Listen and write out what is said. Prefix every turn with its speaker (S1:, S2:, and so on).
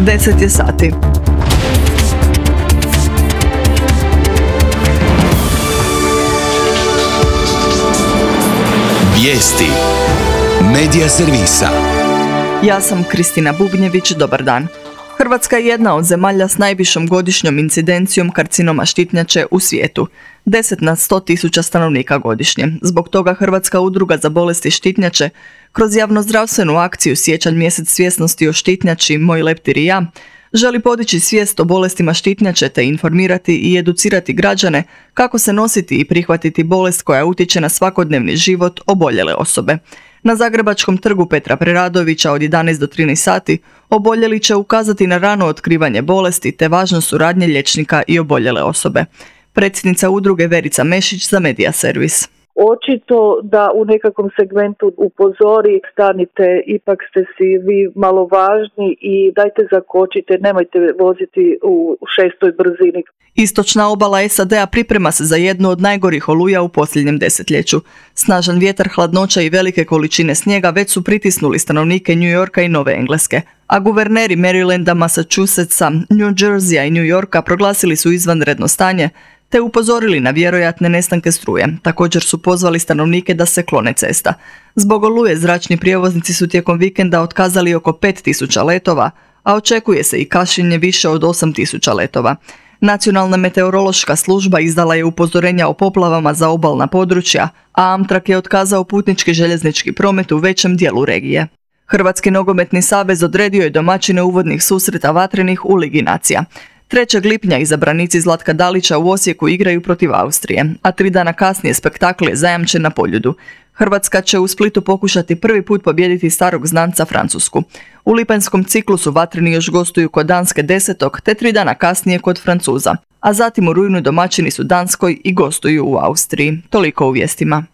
S1: 10 je sati.
S2: Vijesti Medija servisa.
S1: Ja sam Kristina Bubnjević, dobar dan. Hrvatska je jedna od zemalja s najvišom godišnjom incidencijom karcinoma štitnjače u svijetu. 10 na 100.000 stanovnika godišnje. Zbog toga Hrvatska udruga za bolesti štitnjače kroz javnozdravstvenu akciju Siječanj mjesec svjesnosti o štitnjači Moj leptir i ja želi podići svijest o bolestima štitnjače te informirati i educirati građane kako se nositi i prihvatiti bolest koja utječe na svakodnevni život oboljele osobe. Na Zagrebačkom trgu Petra Preradovića od 11 do 13 sati oboljeli će ukazati na rano otkrivanje bolesti te važnost suradnje liječnika i oboljele osobe. Predsjednica udruge Verica Mešić za Medija servis.
S3: Očito da u nekakvom segmentu upozori, stanite, ipak ste si vi malo važni i dajte zakočite, nemojte voziti u 6. brzini.
S1: Istočna obala SAD-a priprema se za jednu od najgorih oluja u posljednjem desetljeću. Snažan vjetar, hladnoća i velike količine snijega već su pritisnuli stanovnike New Yorka i Nove Engleske, a guverneri Marylanda, Massachusettsa, New Jerseya i New Yorka proglasili su izvanredno stanje te upozorili na vjerojatne nestanke struje. Također su pozvali stanovnike da se klone cesta. Zbog oluje zračni prijevoznici su tijekom vikenda otkazali oko 5.000 letova, a očekuje se i kašnjenje više od 8.000 letova. Nacionalna meteorološka služba izdala je upozorenja o poplavama za obalna područja, a Amtrak je otkazao putnički željeznički promet u većem dijelu regije. Hrvatski nogometni savez odredio je domaćine uvodnih susreta vatrenih u Ligi nacija. 3. lipnja izabranici Zlatka Dalića u Osijeku igraju protiv Austrije, a 3 dana kasnije spektakl je zajamčen na Poljudu. Hrvatska će u Splitu pokušati prvi put pobijediti starog znanca Francusku. U lipanjskom ciklusu vatreni još gostuju kod Danske 10. te 3 dana kasnije kod Francuza, a zatim u rujnu domaćini su Danskoj i gostuju u Austriji. Toliko u vijestima.